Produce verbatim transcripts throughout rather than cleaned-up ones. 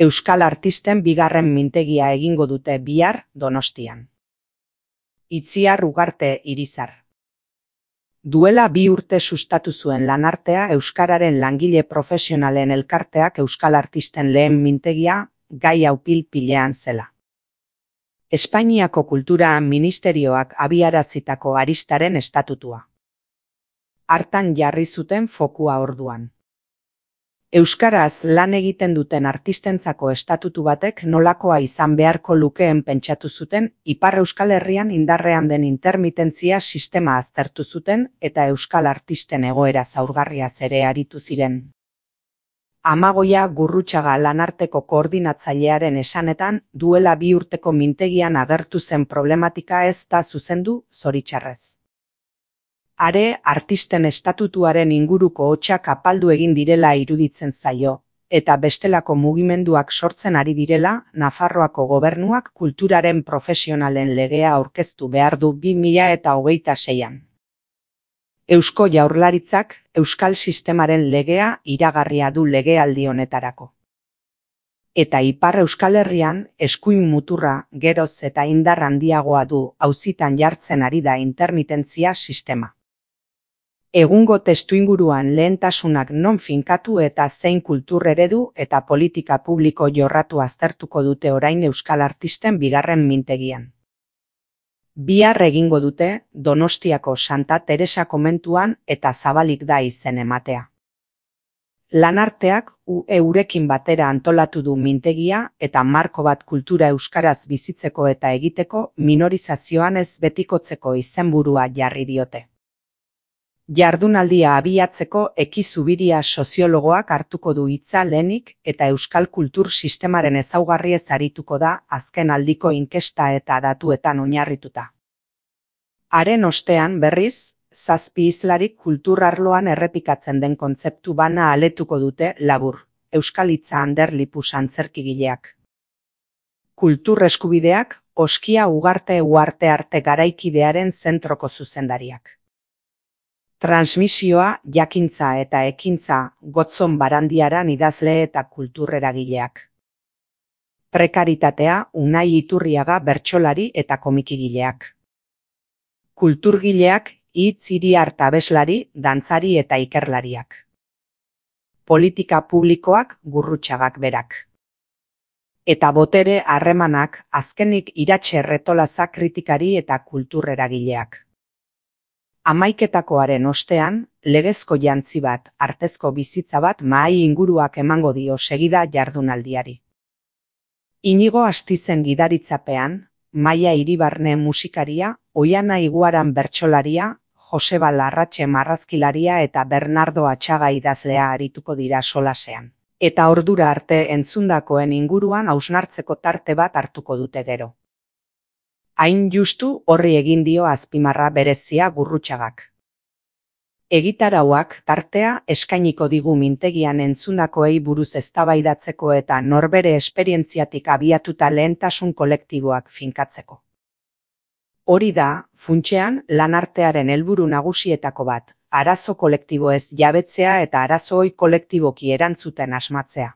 Euskal artisten bigarren mintegia egingo dute bihar Donostian. Itziar Ugarte Irizar. Duela bi urte sustatu zuen Lanartea euskararen langile profesionalen elkarteak euskal artisten lehen mintegia gai hau pil-pilean zela. Espainiako Kultura Ministerioak abiarazitako aristaren estatutua. Hartan jarri zuten fokua orduan. Euskaraz lan egiten duten artistentzako estatutu batek nolakoa izan beharko lukeen pentsatu zuten, Ipar Euskal Herrian indarrean den intermitentzia sistema aztertu zuten eta euskal artisten egoera zaurgarriaz ere aritu ziren. Amagoia Gurrutxaga Lanarteko koordinatzailearen esanetan, duela bi urteko mintegian agertu zen problematika ez da zuzendu, zoritxarrez. Are, artisten estatutuaren inguruko hotsak apaldu egin direla iruditzen zaio, eta bestelako mugimenduak sortzen ari direla, Nafarroako gobernuak kulturaren profesionalen legea aurkeztu behar du bi mila hogeita seian. Eusko Jaurlaritzak euskal sistemaren legea iragarria du legealdi honetarako. Eta Ipar Euskal Herrian eskuin muturra geroz eta indar handiagoa du auzitan jartzen ari da intermitentzia sistema. Egungo testuinguruan lehentasunak non finkatu eta zein kultur eredu eta politika publiko jorratu aztertuko dute orain euskal artisten bigarren mintegian. Bihar egingo dute Donostiako Santa Teresa komentuan eta zabalik da izen ematea. Lanarteak eurekin batera antolatu du mintegia eta marko bat kultura euskaraz bizitzeko eta egiteko minorizazioan ez betikotzeko izenburua jarri diote. Jardunaldia abiatzeko Eki Zubiria soziologoak hartuko du hitza lehenik eta euskal kultur sistemaren ezaugarriez arituko da azken aldiko inkesta eta datuetan oinarrituta. Haren ostean berriz, zazpi islarik kultur arloan errepikatzen den kontzeptu bana aletuko dute labur, Euskal Hitza Ander Lipus antzerkigileak. Kultur eskubideak, Oskia Ugarte Uharte Arte Garaikidearen zentroko zuzendariak. Transmisioa, jakintza eta ekintza Gotzon Barandiaran idazle eta kulturreragileak. Prekaritatea, Unai Iturriaga bertsolari eta komikigileak. Kulturgileak, Hitz Iriart abeslari, dantzari eta ikerlariak. Politika publikoak, Gurrutxagak berak. Eta botere harremanak, azkenik Iratxe Retolaza kritikari eta kulturreragileak. Hamaiketakoaren ostean, legezko jantzi bat, artezko bizitza bat mahai inguruak emango dio segida jardunaldiari. Inigo Astizen gidaritzapean, Maia Iribarne musikaria, Oiana Iguaran bertsolaria, Joseba Larratxe marrazkilaria eta Bernardo Atxaga idazlea arituko dira solasean. Eta ordura arte entzundakoen inguruan hausnartzeko tarte bat hartuko dute gero. Hain justu horri egin dio azpimarra berezia Gurrutxagak. Egitarauak tartea eskainiko digu mintegian entzundakoei buruz eztabaidatzeko eta norbere esperientziatik abiatuta lehentasun kolektiboak finkatzeko. Hori da, funtsean, Lanartearen helburu nagusietako bat, arazo kolektiboez jabetzea eta arazoi kolektiboki erantzuten asmatzea.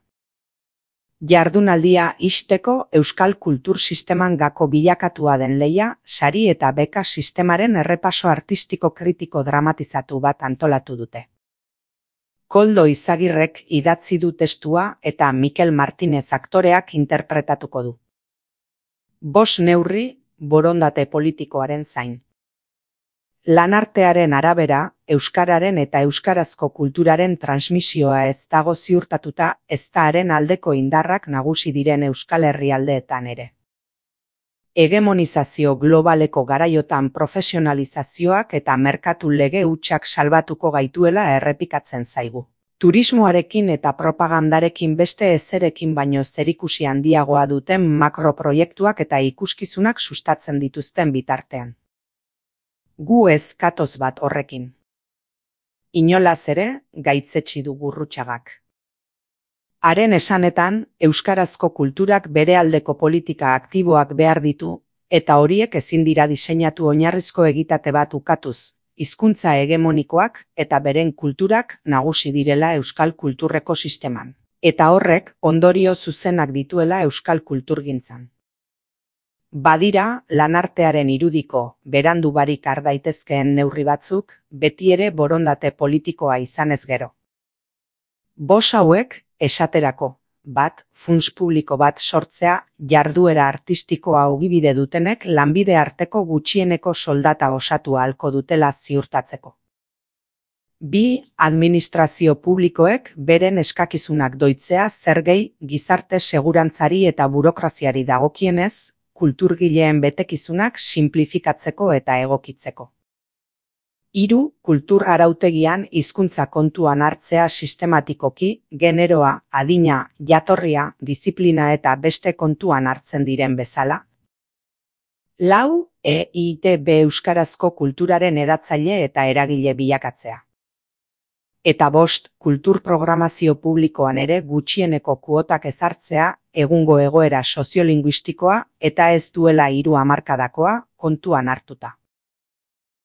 Jardunaldia ixteko euskal kultur sisteman gako bilakatua den lehia, sari eta beka sistemaren errepaso artistiko kritiko dramatizatu bat antolatu dute. Koldo Izagirrek idatzi du testua eta Mikel Martinez aktoreak interpretatuko du. Bost neurri, borondate politikoaren zain. Lanartearen arabera, euskararen eta euskarazko kulturaren transmisioa ez dago ziurtatuta ez da haren aldeko indarrak nagusi diren Euskal Herrialdeetan ere. Hegemonizazio globaleko garaiotan profesionalizazioak eta merkatu lege hutsak salbatuko gaituela errepikatzen zaigu. Turismoarekin eta propagandarekin beste ezerekin baino zerikusi handiagoa duten makroproiektuak eta ikuskizunak sustatzen dituzten bitartean. Gu ez katoz bat horrekin. Inolaz ere, gaitzetsi du Gurrutxagak. Haren esanetan, euskarazko kulturak bere aldeko politika aktiboak behar ditu, eta horiek ezin dira diseinatu oinarrizko egitate bat ukatuz, hizkuntza hegemonikoak eta beren kulturak nagusi direla euskal kulturreko sisteman. eta horrek ondorio zuzenak dituela euskal kulturgintzan. Badira, lanartearen irudiko berandu barik har daitezkeen neurri batzuk, beti ere borondate politikoa izanez gero. Bos hauek, esaterako, bat, funts publiko bat sortzea, jarduera artistikoa ogibide dutenek lanbide arteko gutxieneko soldata osatu ahalko dutela ziurtatzeko. Bi, administrazio publikoek beren eskakizunak doitzea zergei, gizarte segurantzari eta burokraziari dagokienez, kulturgileen betekizunak sinplifikatzeko eta egokitzeko. Hiru, kultur arautegian hizkuntza kontuan hartzea sistematikoki, generoa, adina, jatorria, diziplina eta beste kontuan hartzen diren bezala. Lau, E I T B euskarazko kulturaren hedatzaile eta eragile bilakatzea. Eta bost, kultur programazio publikoan ere gutxieneko kuotak ezartzea, egungo egoera soziolinguistikoa eta ez duela hiru hamarkadakoa kontuan hartuta.